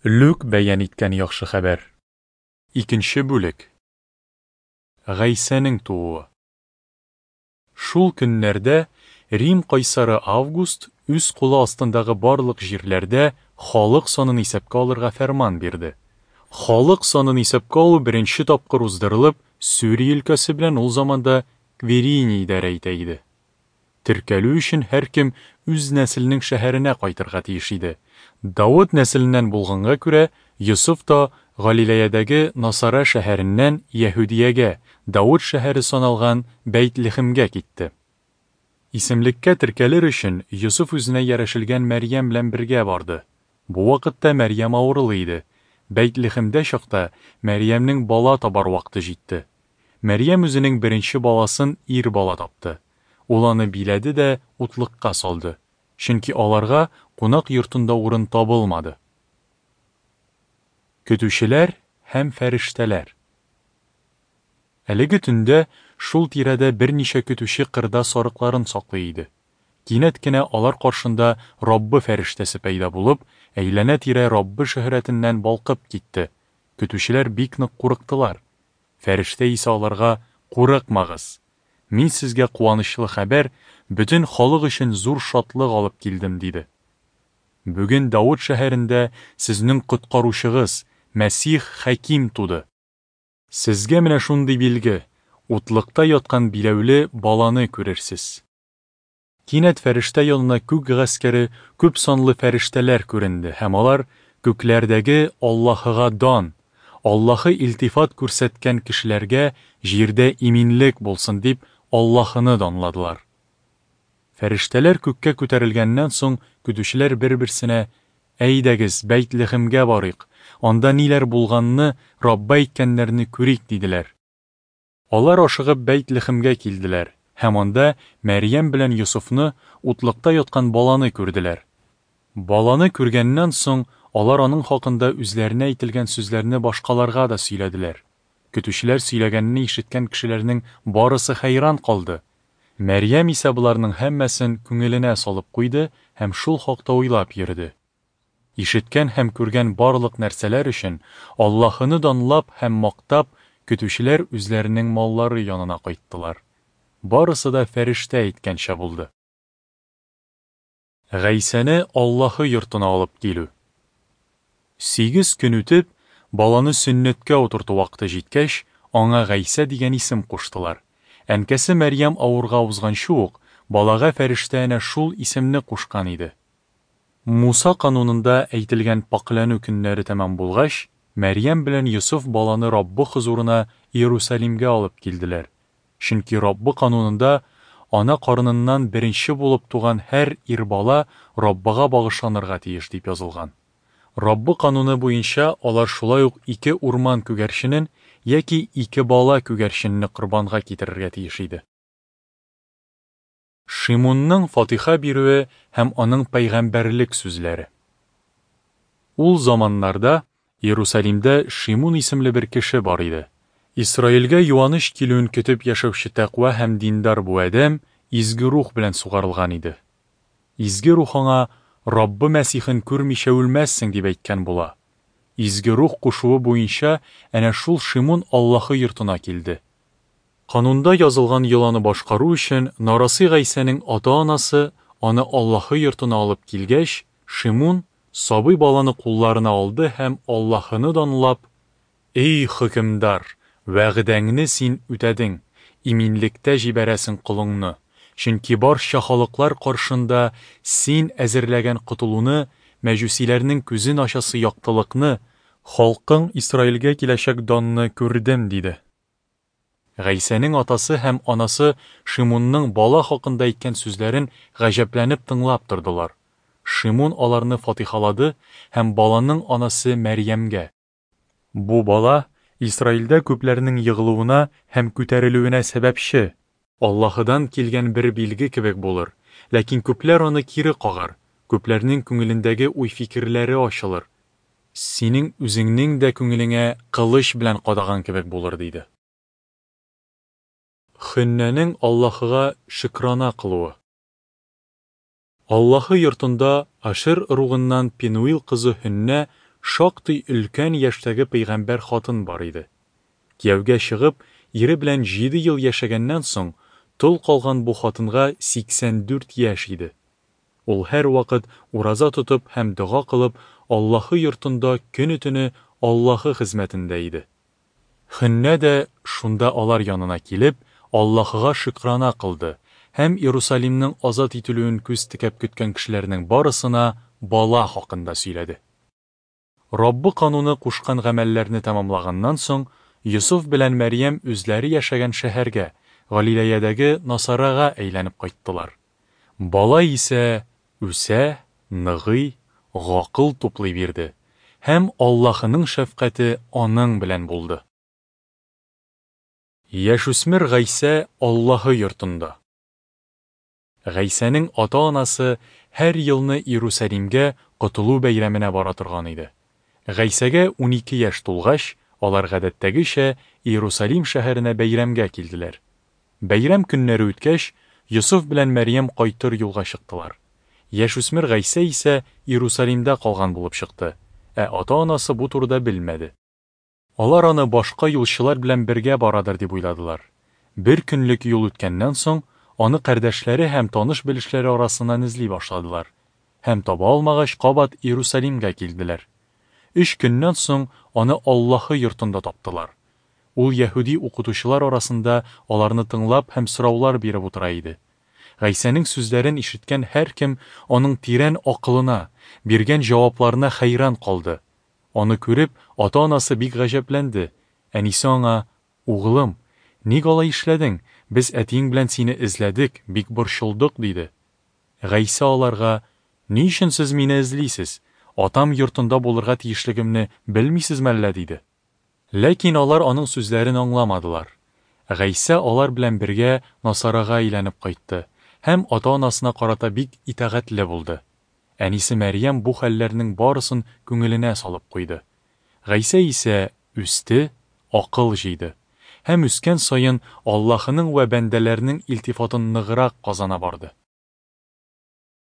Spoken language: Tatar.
Лүк бәян иткән Яхшы хәбәр. Икенче бүлек. Гайсәнең тууы. Шул көннәрдә Рим кайсары Август үз кулы астындагы барлык җирләрдә халык санын исәпкә алырга фәрман бирде. Халык санын исәпкә алу беренче тапкыр уздырылып, Сүрия өлкәсе белән ул заманда Квириний идарә итә иде. Теркәлү өчен һәркем үз нәселенең шәһәренә кайтырга тиеш иде. Давыт нәселеннән булганга күрә, Йосыф та Галилеядәге Насара шәһәреннән Яһүдиягә, Давыт шәһәре саналган Бәйтлехемгә китте. Исемлеккә теркәлер өчен, Йосыф үзенә ярәшелгән Мәрьям белән бергә барды. Бу вакытта Мәрьям авырлы иде. Бәйтлехемдә чакта Мәрьямнең бала табар вакыты җитте. Мәрьям үзенең беренче баласын ир бала тапты. Ул аны биләде дә утлыкка салды, чөнки аларга кунак йортында урын табылмады. Көтүчеләр һәм фәрештәләр. Әлеге төндә шул тирәдә берничә көтүче кырда сарыкларын саклый иде. Кинәт кенә алар каршында Раббы фәрештәсе пәйда булып, әйләнә-тирә Раббы шөһрәтеннән балкып китте. Көтүчеләр бик нык курыктылар. Фәрештә исә аларга, Курыкмагыз! Мин сезгә куанычлы хәбәр, бөтен халык өчен зур шатлык алып килдем, диде. Бүген Давыт шәһәрендә сезнең Коткаручыгыз, Мәсих Хәким туды. Сезгә менә шундый билге, утлыкта яткан биләүле баланы күрерсез. Кинәт фәрештә янына күк гаскәре, күп санлы фәрештәләр күренде һәм алар, Күкләрдәге Аллаһыга дан, Аллаһы илтифат күрсәткән кешеләргә җирдә иминлек булсын, дип Аллаһыны данладылар. Фәрештәләр күккә күтәрелгәннән соң, көтүчеләр бер-берсенә, Әйдәгез, Бәйтлехемгә барыйк, анда ниләр булганны, Раббы әйткәннәрне күрик, диделәр. Алар ашыгып Бәйт-Лехемгә килделәр һәм анда Мәрьям белән Йосыфны, утлыкта яткан баланы күрделәр. Баланы күргәннән соң, алар аның хакында үзләренә әйтелгән сүзләрне башкаларга да сөйләделәр. Көтүчеләр сөйләгәнне ишеткән кешеләрнең барысы хәйран калды. Мәрьям исә боларның һәммәсен күңеленә салып куйды һәм шул хакта уйлап йөрде. Ишеткән һәм күргән барлык нәрсәләр өчен Аллаһыны данлап һәм мактап, көтүчеләр үзләренең маллары янына кайттылар. Барысы да фәрештә әйткәнчә булды. Гайсәне Аллаһы йортына алып килү. Сигез көн үтеп, баланы сөннәткә утырту вакыты җиткәч, аңа Гайсә дигән исем куштылар. Әнкәсе Мәрьям авырга узганчы ук, балага фәрештә әнә шул исемне кушкан иде. Муса канунында әйтелгән пакьләнү көннәре тәмам булгач, Мәрьям белән Йосыф баланы Раббы хозурына Иерусалимгә алып килделәр. Чөнки Раббы канунында, Ана карыныннан беренче булып туган һәр ир бала Раббыга багышланырга тиеш, дип язылган. Раббы кануны буенча алар шулай ук ике урман күгәрченен яки ике бала күгәрченне корбанга китерергә тиеш иде. Шимунның фатиха бирүе һәм аның пәйгамбәрлек сүзләре. Ул заманнарда Иерусалимдә Шимун исемле бер кеше бар иде. Исраилгә юаныч килүен көтеп яшәүче тәкъва һәм диндар бу адәм Изге Рух белән сугарылган иде. Изге Рух аңа, Раббы Мәсихен күрмичә үлмәссең, дип әйткән була. Изге Рух кушуы буенча әнә шул Шимун Аллаһы йортына килде. Канунда язылган йоланы башкару өчен, нарасый Гайсәнең ата-анасы аны Аллаһы йортына алып килгәч, Шимун сабый баланы кулларына алды һәм, Аллаһыны данлап, Эй, хөкемдар, вәгъдәңне син үтәдең, иминлектә җибәрәсең колыңны, чөнки барча халыклар каршында син әзерләгән котылуны, мәҗүсиләрнең күзен ачасы яктылыкны, халкың Исраилгә киләчәк данны күрдем, диде. Гайсәнең атасы һәм анасы Шимунның бала хакында әйткән сүзләрен гаҗәпләнеп тыңлап тордылар. Шимун аларны фатихалады һәм баланың анасы Мәрьямгә. Бу бала Исраилдә күпләрнең егылуына һәм күтәрелүенә сәбәпче, Аллаһыдан килгән бер билге кебек булыр, ләкин күпләр аны кире кагар, күпләрнең күңелендәге уй-фикерләре ачылыр, синең үзеңнең дә күңелеңә кылыч белән кадаган кебек булыр, диде. Хөннәнең Аллаһыга шөкрана кылуы. Аллаһы йортында Ашер ыругыннан Пенуил кызы Һөннә шактый өлкән яшьтәге пәйгамбәр хатын бар иде. Кияүгә чыгып, ире белән җиде ел яшәгәннән соң, тол калган бу хатынга 84 яшь иде. Ул һәрвакыт ураза тотып һәм дога кылып, Аллаһы йортында көне-төне Аллаһы хезмәтендә иде. Хөннә дә, шунда алар янына килеп, Аллаһыга шөкрана кылды һәм Иерусалимның азат ителүен күз текәп көткән кешеләрнең барысына бала хакында сөйләде. Раббы кануны кушкан гамәлләрне тәмамлаганнан соң, Йосыф белән Мәрьям үзләре яшәгән шәһәргә, Галиләядәге Насарага әйләнеп кайттылар. Бала исә үсә, ныгый, гакыл туплый бирде, һәм Аллаһының шәфкате аның белән булды. Яшүсмер Гайсә Аллаһы йортында. Гайсәнең ата-анасы һәр елны Иерусалимгә Котылу бәйрәменә бара торган иде. Гайсәгә 12 яшь тулгач, алар гадәттәгечә Иерусалим шәһәренә бәйрәмгә килделәр. Бәйрәм көннәре үткәч, Йосыф белән Мәрьям кайтыр юлга чыктылар. Яшүсмер Гайсә исә Иерусалимда калган булып чыкты, ә ата-анасы бу турыда белмәде. Алар аны башка юлчылар белән бергә барадыр дип уйладылар. Бер көнлек юл үткәннән соң, аны кардәшләре һәм таныш-белешләре арасыннан эзли башладылар. Һәм таба алмагач, кабат Иерусалимгә килделәр. Өч көннән соң аны Аллаһы йортында таптылар. Ул яһүди укытучылар арасында аларны тыңлап һәм сораулар биреп утыра иде. Гайсәнең сүзләрен ишеткән һәркем аның тирән акылына, биргән җавапларына хәйран калды. Аны күреп, ата-анасы бик гаҗәпләнде. Әнисе аңа, Углым, ник алай эшләдең? Без әтиең белән сине эзләдек, бик борчылдык, диде. Гайсә аларга, Ни өчен сез мине эзлисез? Атам йортында булырга тиешлегемне белмисезме әллә? диде. Ләкин алар аның сүзләрен аңламадылар. Гайсә алар белән бергә Насарага әйләнеп кайтты һәм ата-анасына карата бик итагатьле булды. Әнисе Мәрьям бу хәлләрнең барысын күңеленә салып куйды. Гайсә исә үсте, акыл җыйды. Һәм үскән саен Аллаһының вә бәндәләрнең илтифатын ныграк казана барды.